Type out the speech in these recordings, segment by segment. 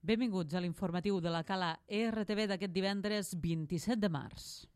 Benvinguts a l'informatiu de la Cala RTV d'aquest divendres 27 de març.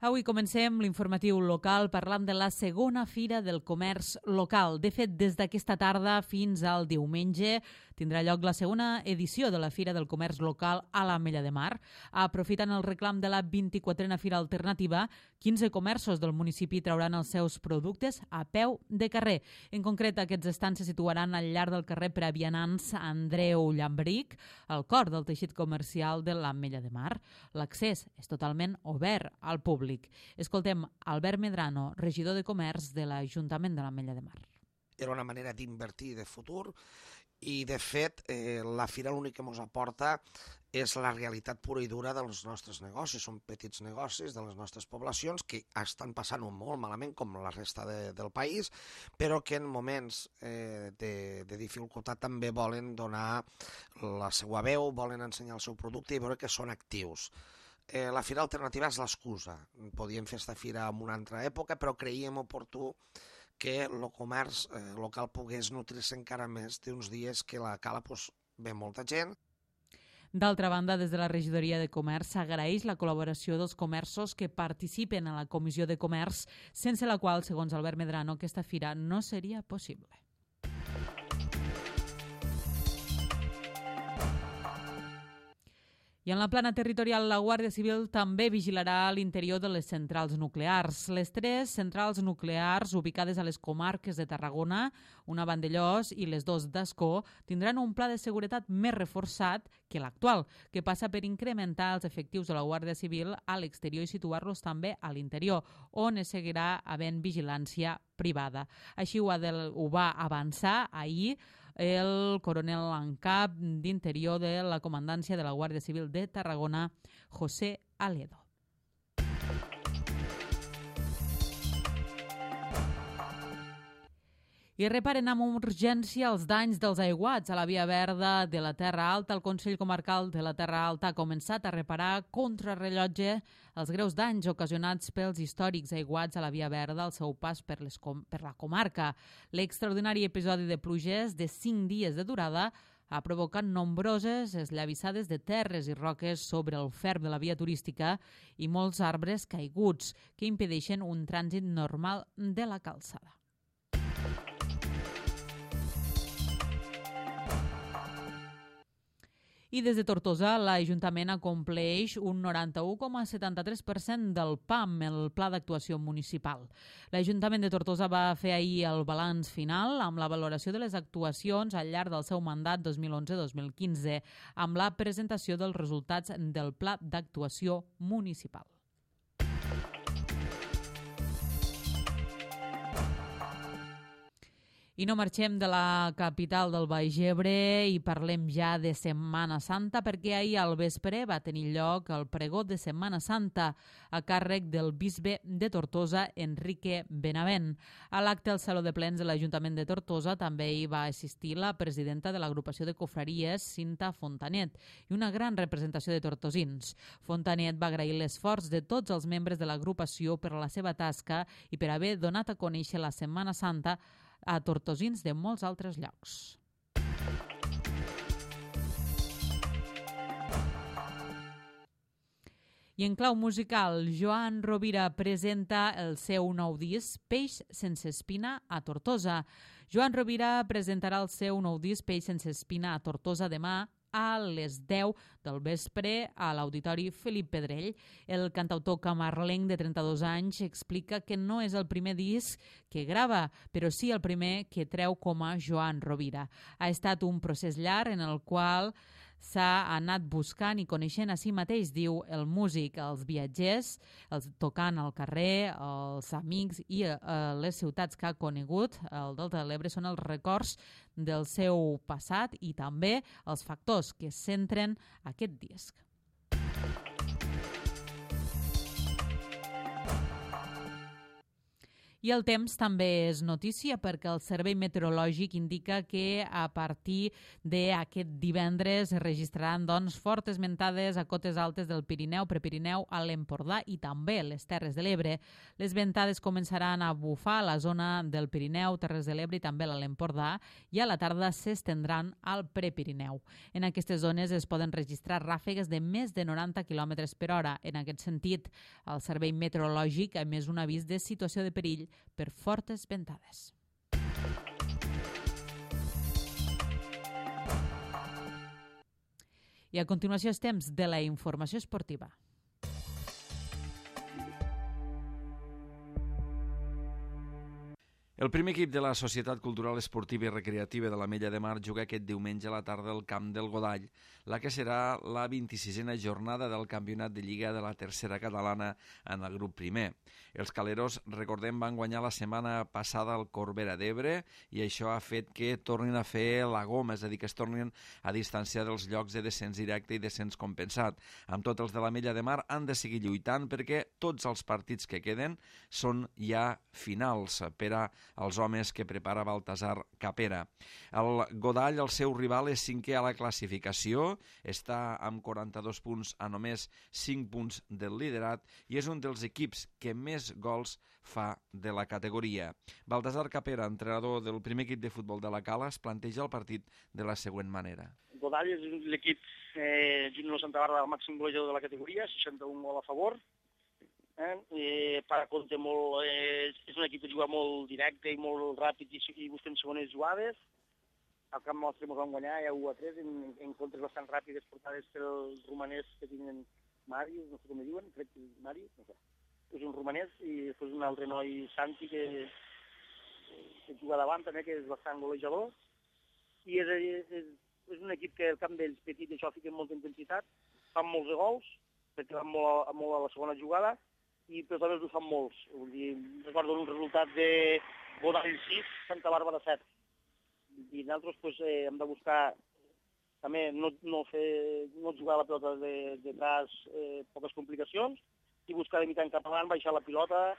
Avui comencem l'informatiu local parlant de la segona Fira del Comerç Local. De fet, des d'aquesta tarda fins al diumenge tindrà lloc la segona edició de la Fira del Comerç Local a l'Ametlla de Mar. Aprofitant el reclam de la 24a Fira Alternativa, 15 comerços del municipi trauran els seus productes a peu de carrer. En concret, aquests estants se situaran al llarg del carrer per a vianants Andreu Llambric, al cor del teixit comercial de l'Ametlla de Mar. L'accés és totalment obert al públic. Escoltem Albert Medrano, regidor de Comerç de l'Ajuntament de l'Ametlla de Mar. Era una manera d'invertir de futur i, de fet, la Fira l'únic que ens aporta és la realitat pura i dura dels nostres negocis. Són petits negocis de les nostres poblacions que estan passant molt malament, com la resta del país, però que en moments de dificultat també volen donar la seva veu, volen ensenyar el seu producte i veure que són actius. La Fira Alternativa és l'excusa. Podíem fer aquesta fira en una altra època, però creiem oportú que el comerç local pogués nutrir-se encara més d'uns dies que a la Cala ve molta gent. D'altra banda, des de la regidoria de Comerç s'agraeix la col·laboració dels comerços que participen a la Comissió de Comerç, sense la qual, segons Albert Medrano, aquesta fira no seria possible. I en la plana territorial, la Guàrdia Civil també vigilarà l'interior de les centrals nuclears. Les 3 centrals nuclears ubicades a les comarques de Tarragona, una a Vandellòs i les 2 d'Ascó, tindran un pla de seguretat més reforçat que l'actual, que passa per incrementar els efectius de la Guàrdia Civil a l'exterior i situar-los també a l'interior, on es seguirà havent vigilància privada. Així ho va avançar ahir el coronel en cap d'Interior de la Comandància de la Guàrdia Civil de Tarragona, José Aledo. I reparen amb urgència els danys dels aiguats a la Via Verda de la Terra Alta. El Consell Comarcal de la Terra Alta ha començat a reparar contrarrellotge els greus danys ocasionats pels històrics aiguats a la Via Verda al seu pas per la comarca. L'extraordinari episodi de pluges de 5 dies de durada ha provocat nombroses esllavissades de terres i roques sobre el ferm de la via turística i molts arbres caiguts que impedeixen un trànsit normal de la calçada. I des de Tortosa, l'Ajuntament acompleix un 91,73% del PAM, el Pla d'Actuació Municipal. L'Ajuntament de Tortosa va fer ahir el balanç final amb la valoració de les actuacions al llarg del seu mandat 2011-2015, amb la presentació dels resultats del Pla d'Actuació Municipal. I no marxem de la capital del Baix Ebre i parlem ja de Setmana Santa, perquè ahir al vespre va tenir lloc el pregó de Setmana Santa a càrrec del bisbe de Tortosa, Enrique Benavent. A l'acte al Saló de Plens de l'Ajuntament de Tortosa també hi va assistir la presidenta de l'agrupació de confraries, Cinta Fontanet, i una gran representació de tortosins. Fontanet va agrair l'esforç de tots els membres de l'agrupació per la seva tasca i per haver donat a conèixer la Setmana Santa a tortosins de molts altres llocs. I en clau musical, Joan Rovira presenta el seu nou disc Peix sense espina a Tortosa. Joan Rovira presentarà el seu nou disc Peix sense espina a Tortosa demà a les 10 del vespre a l'Auditori Felip Pedrell. El cantautor camarlenc de 32 anys explica que no és el primer disc que grava, però sí el primer que treu com a Joan Rovira. Ha estat un procés llarg en el qual s'ha anat buscant i coneixent a si mateix, diu el músic, els viatgers, els tocant al carrer, els amics i les ciutats que ha conegut. El Delta de l'Ebre són els records del seu passat i també els factors que centren aquest disc. I el temps també és notícia perquè el Servei Meteorològic indica que a partir d'aquest divendres es registraran fortes ventades a cotes altes del Pirineu, Prepirineu, a l'Empordà i també les Terres de l'Ebre. Les ventades començaran a bufar a la zona del Pirineu, Terres de l'Ebre i també a l'Empordà i a la tarda s'estendran al Prepirineu. En aquestes zones es poden registrar ràfegues de més de 90 km per hora. En aquest sentit, el Servei Meteorològic ha emès un avís de situació de perill per fortes ventades. I a continuació és temps de la informació esportiva. El primer equip de la Societat Cultural Esportiva i Recreativa de l'Ametlla de Mar juga aquest diumenge a la tarda al Camp del Godall, la que serà la 26a jornada del Campionat de Lliga de la Tercera Catalana en el grup primer. Els caleros, recordem, van guanyar la setmana passada el Corbera d'Ebre i això ha fet que tornin a fer la goma, és a dir, que es tornin a distanciar dels llocs de descens directe i descens compensat. Amb tot, els de l'Ametlla de Mar han de seguir lluitant perquè tots els partits que queden són ja finals per a els homes que prepara Baltasar Capera. El Godall, el seu rival, és cinquè a la classificació, està amb 42 punts a només 5 punts del liderat i és un dels equips que més gols fa de la categoria. Baltasar Capera, entrenador del primer equip de futbol de la Cala, es planteja el partit de la següent manera. Godall és l'equip Gino Santa Bàrbara, el màxim golejador de la categoria, 61 gols a favor. Per a compte molt, és un equip que juga molt directe i molt ràpid i busquen segones jugades. Al camp nostre ens van guanyar ja 1-3 en contres bastant ràpides portades pels romanès que tenen Màrius, no sé com diuen, crec que Màrius, no sé. És un romanès i després un altre noi, Santi, que juga davant també, que és bastant golejador. I és un equip que el camp d'ells petit i això fica molta intensitat, fan molts de gols, perquè van molt a la segona jugada, i però també ho fan molts. Vull dir, recordo un resultat de Godall 6, Santa Bàrbara 7. I nosaltres pues, hem de buscar també no jugar la pilota detrás poques complicacions i buscar de mitjà cap avant, baixar la pilota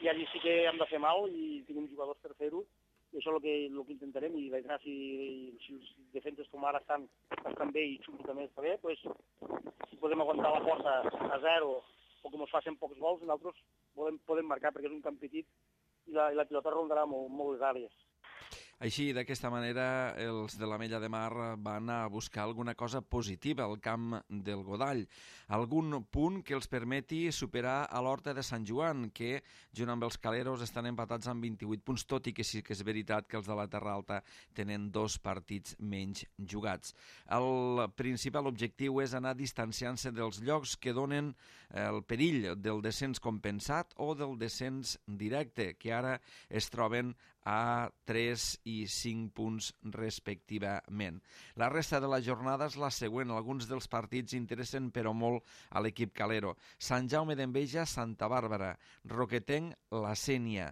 i allí sí que hem de fer mal i tenim jugadors per fer-ho i això és el que intentarem i veurà si els defenses com ara estan bé i Xulo també està bé, pues, si podem aguantar la força a 0 o com es facin pocs gols, nosaltres podem marcar perquè és un camp petit i la pilota rondarà molt les àrees. Així, d'aquesta manera, els de l'Ametlla de Mar van a buscar alguna cosa positiva al camp del Godall. Algun punt que els permeti superar a l'Horta de Sant Joan, que, junt amb els caleros, estan empatats amb 28 punts, tot i que sí que és veritat que els de la Terra Alta tenen 2 partits menys jugats. El principal objectiu és anar distanciant-se dels llocs que donen el perill del descens compensat o del descens directe, que ara es troben a 3 i 5 punts respectivament. La resta de la jornada és la següent. Alguns dels partits interessen però molt a l'equip calero. Sant Jaume d'Enveja, Santa Bàrbara, Roquetenc, La Sénia,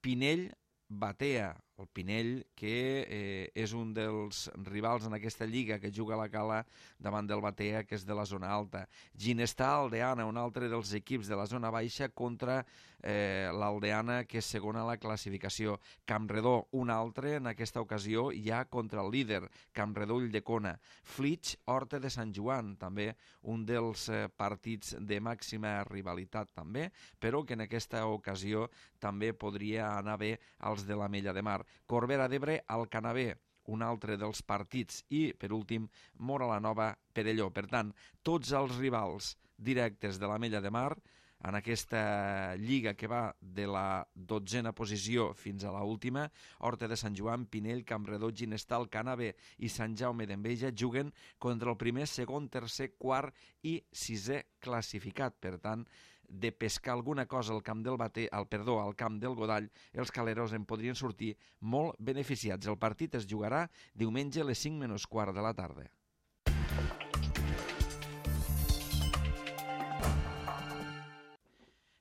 Pinell, Batea, el Pinell, que és un dels rivals en aquesta lliga que juga a la Cala davant del Batea, que és de la zona alta. Ginestar, Aldeana, un altre dels equips de la zona baixa contra l'Aldeana, que és segona a la classificació. Campredó, un altre, en aquesta ocasió ja contra el líder, Campredó Ulldecona. Flix, Horta de Sant Joan, també un dels partits de màxima rivalitat també, però que en aquesta ocasió també podria anar bé als de l'Ametlla de Mar. Corbera d'Ebre, Alcanavé, un altre dels partits, i, per últim, Móra la Nova, Perelló. Per tant, tots els rivals directes de l'Ametlla de Mar en aquesta lliga que va de la 12a posició fins a l'última, Horta de Sant Joan, Pinell, Campredó, Ginestar, Alcanavé i Sant Jaume d'Enveja juguen contra el primer, segon, tercer, quart i sisè classificat. Per tant, de pescar alguna cosa al camp al camp del Godall, els caleros en podrien sortir molt beneficiats. El partit es jugarà diumenge a les 5 menys quart de la tarda.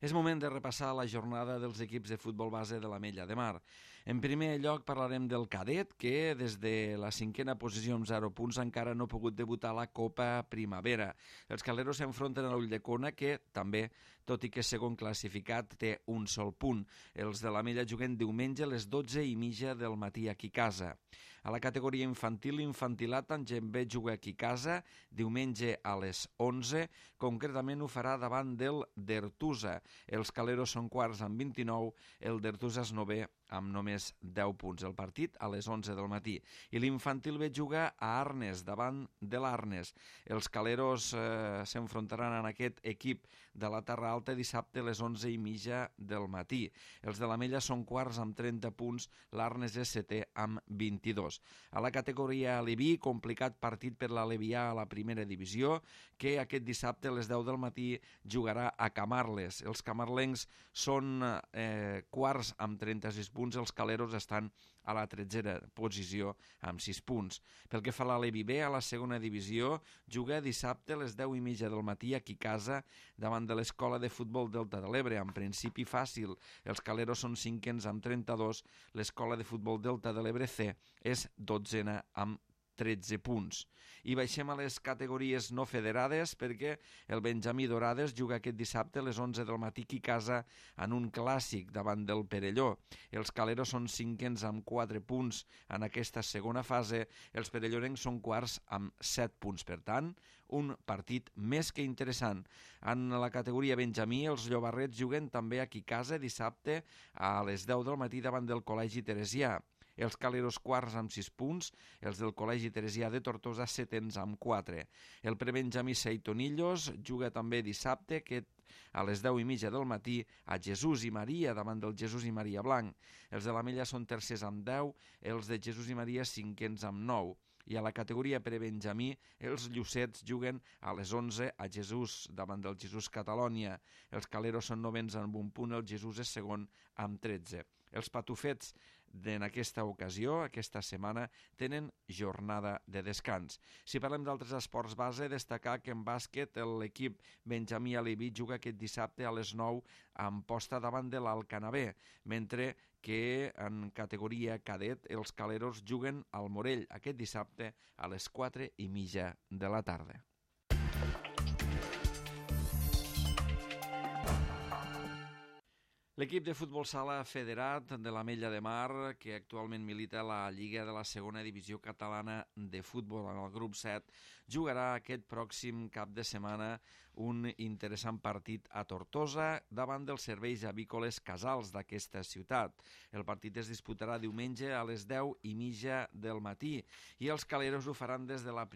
És moment de repassar la jornada dels equips de futbol base de l'Ametlla de Mar. En primer lloc parlarem del cadet, que des de la 5a posició amb 0 punts encara no ha pogut debutar a la Copa Primavera. Els caleros s'enfronten a l'Ulldecona, que també tot i que segon classificat té un sol punt. Els de l'Ametlla juguen diumenge a les 12:30 del matí aquí a casa. A la categoria infantil, l'infantilat també juga aquí a casa, diumenge a les 11, concretament ho farà davant del Dertusa. Els caleros són quarts amb 29, el Dertusa és novè amb només 10 punts. El partit a les 11 del matí. I l'infantil B juga a Arnes, davant de l'Arnes. Els caleros s'enfrontaran en aquest equip de la Terra Alta dissabte a les 11:30 del matí. Els de l'Ametlla són quarts amb 30 punts, l'Arnes és setè amb 22. A la categoria Aleví, complicat partit per l'Alevià a la primera divisió, que aquest dissabte a les 10 del matí jugarà a Camarles. Els camarlencs són quarts amb 36 punts, els caleros estan a la 13a posició amb 6 punts. Pel que fa a l'Aleví B, a la segona divisió, juga dissabte a les 10:30 del matí aquí a casa davant de l'Escola de Futbol Delta de l'Ebre. En principi fàcil, els caleros són cinquens amb 32, l'Escola de Futbol Delta de l'Ebre C és 12a amb 13 punts. I baixem a les categories no federades perquè el Benjamí Dorades juga aquest dissabte a les 11 del matí aquí a casa en un clàssic davant del Perelló. Els caleros són cinquens amb 4 punts en aquesta segona fase, els perellonencs són quarts amb 7 punts. Per tant, un partit més que interessant. En la categoria Benjamí, els llobarrets juguen també aquí a casa dissabte a les 10 del matí davant del Col·legi Teresià. Els caleros quarts amb 6 punts, els del Col·legi Teresià de Tortosa setens amb 4. El prebenjamí Seitonillos juga també dissabte a les 10:30 del matí a Jesús i Maria davant del Jesús i Maria Blanc. Els de l'Ametlla són tercers amb 10, els de Jesús i Maria cinquens amb 9. I a la categoria prebenjamí, els llucets juguen a les 11 a Jesús davant del Jesús Catalònia. Els caleros són novens amb un punt, el Jesús és segon amb 13. Els patufets en aquesta ocasió, aquesta setmana, tenen jornada de descans. Si parlem d'altres esports base, destacar que en bàsquet l'equip Benjamí Aleví juga aquest dissabte a les 9 amb posta davant de l'Alcanavè, mentre que en categoria cadet els caleros juguen al Morell aquest dissabte a les 4:30 de la tarda. L'equip de futbol sala federat de l'Ametlla de Mar, que actualment milita a la Lliga de la Segona Divisió Catalana de Futbol en el grup 7, jugarà aquest pròxim cap de setmana un interessant partit a Tortosa davant dels serveis avícoles Casals d'aquesta ciutat. El partit es disputarà diumenge a les 10:30 del matí i els caleros ho faran des de la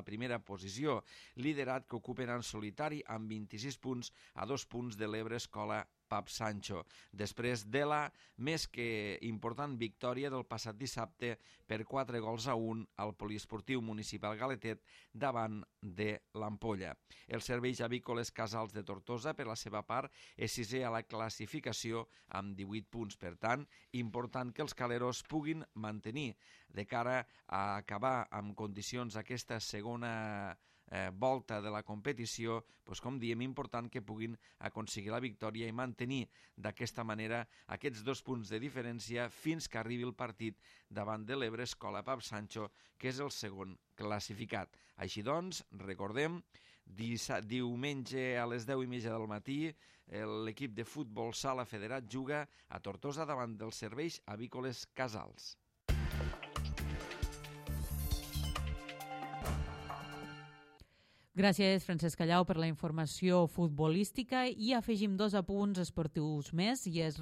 primera posició, liderat que ocupen en solitari amb 26 punts a 2 punts de l'Ebre Escola Pap Sancho, després de la més que important victòria del passat dissabte per 4-1 al Poliesportiu Municipal Galetet davant de l'Ampolla. Els serveis avícoles Casals de Tortosa, per la seva part, és sisè a la classificació amb 18 punts. Per tant, important que els caleros puguin mantenir de cara a acabar amb condicions aquesta segona volta de la competició, doncs, com diem, important que puguin aconseguir la victòria i mantenir d'aquesta manera aquests 2 punts de diferència fins que arribi el partit davant de l'Ebre Escola Pap Sancho, que és el segon classificat. Així doncs, recordem, diumenge a les 10:30 del matí l'equip de futbol sala federat juga a Tortosa davant dels serveis avícoles Casals. Gràcies, Francesc Callau, per la informació futbolística i afegim 2 apunts esportius més i és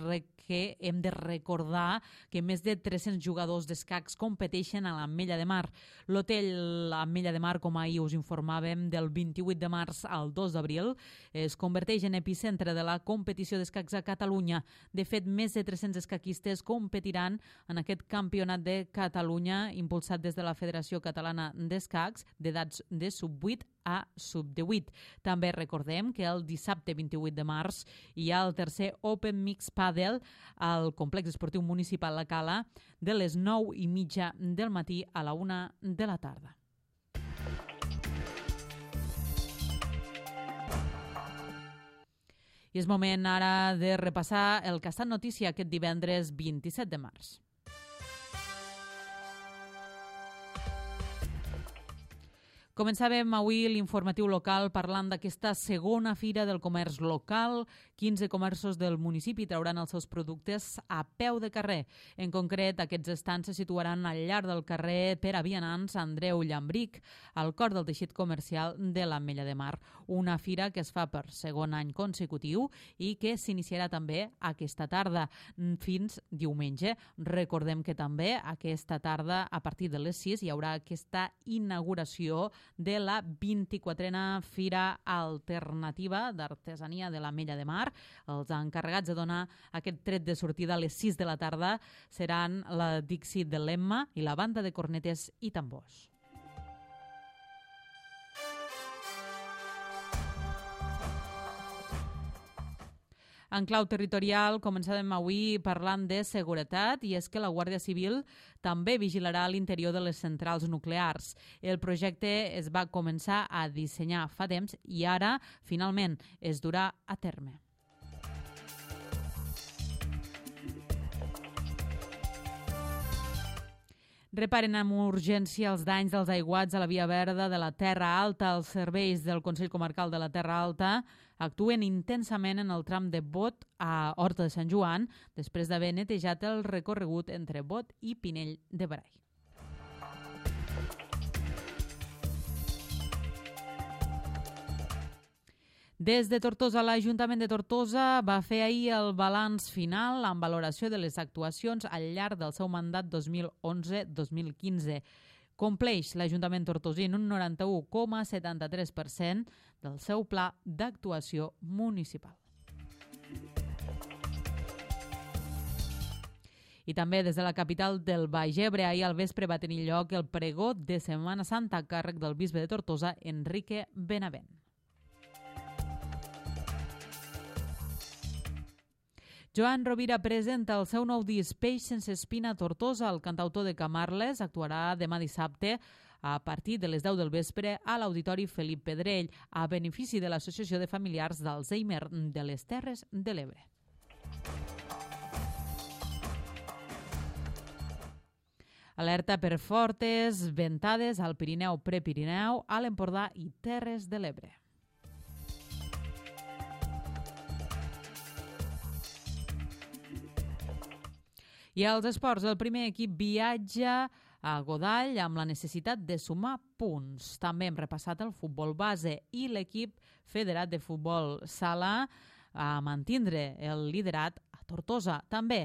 que hem de recordar que més de 300 jugadors d'escacs competeixen a l'Ametlla de Mar. L'hotel Ametlla de Mar, com ahir us informàvem, del 28 de març al 2 d'abril es converteix en epicentre de la competició d'escacs a Catalunya. De fet, més de 300 escaquistes competiran en aquest campionat de Catalunya impulsat des de la Federació Catalana d'Escacs d'edats de sub-8 a sub-18. També recordem que el dissabte 28 de març hi ha el tercer Open Mix Padel al complex esportiu municipal La Cala de les 9:30 del matí a la 1 de la tarda. I és moment ara de repassar el que ha estat notícia aquest divendres 27 de març. Començàvem avui l'informatiu local parlant d'aquesta segona fira del comerç local. 15 comerços del municipi trauran els seus productes a peu de carrer. En concret, aquests estants se situaran al llarg del carrer Pere Vianants, Andreu Llambric, al cor del teixit comercial de l'Ametlla de Mar. Una fira que es fa per segon any consecutiu i que s'iniciarà també aquesta tarda fins diumenge. Recordem que també aquesta tarda, a partir de les 6, hi haurà aquesta inauguració de la 24a Fira Alternativa d'Artesania de l'Ametlla de Mar. Els encarregats de donar aquest tret de sortida a les 6 de la tarda seran la Dixit de l'Emma i la banda de cornetes i tambors. En clau territorial, començàvem avui parlant de seguretat i és que la Guàrdia Civil també vigilarà l'interior de les centrals nuclears. El projecte es va començar a dissenyar fa temps i ara, finalment, es durà a terme. Reparen amb urgència els danys dels aiguats a la via verda de la Terra Alta. Els serveis del Consell Comarcal de la Terra Alta actuen intensament en el tram de Bot a Horta de Sant Joan, després d'haver netejat el recorregut entre Bot i Pinell de Brai. Des de Tortosa, l'Ajuntament de Tortosa va fer ahir el balanç final amb valoració de les actuacions al llarg del seu mandat 2011-2015. Compleix l'Ajuntament tortosí en un 91,73% del seu pla d'actuació municipal. I també des de la capital del Baix Ebre, ahir al vespre va tenir lloc el pregó de Setmana Santa a càrrec del bisbe de Tortosa, Enrique Benavent. Joan Rovira presenta el seu nou disc Peix sense espina a Tortosa. El cantautor de Camarles actuarà demà dissabte a partir de les 10 del vespre a l'Auditori Felip Pedrell, a benefici de l'Associació de Familiars d'Alzheimer de les Terres de l'Ebre. Alerta per fortes ventades al Pirineu, Prepirineu, a l'Empordà i Terres de l'Ebre. I als esports, el primer equip viatja a Godall amb la necessitat de sumar punts. També hem repassat el futbol base i l'equip federat de futbol sala a mantindre el liderat a Tortosa. També,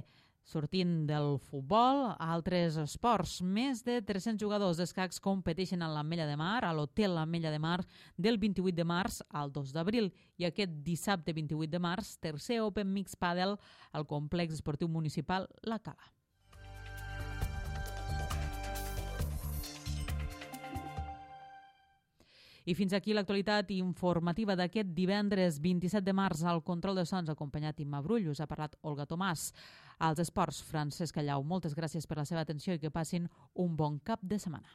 sortint del futbol, altres esports. Més de 300 jugadors d'escacs competeixen a l'Ametlla de Mar, a l'Hotel l'Ametlla de Mar, del 28 de març al 2 d'abril. I aquest dissabte 28 de març, tercer Open Mix Padel al complex esportiu municipal La Cala. I fins aquí l'actualitat informativa d'aquest divendres 27 de març. Al control de sons acompanyat Imma Brull, us ha parlat Olga Tomàs. Als esports, Francesc Callau, moltes gràcies per la seva atenció i que passin un bon cap de setmana.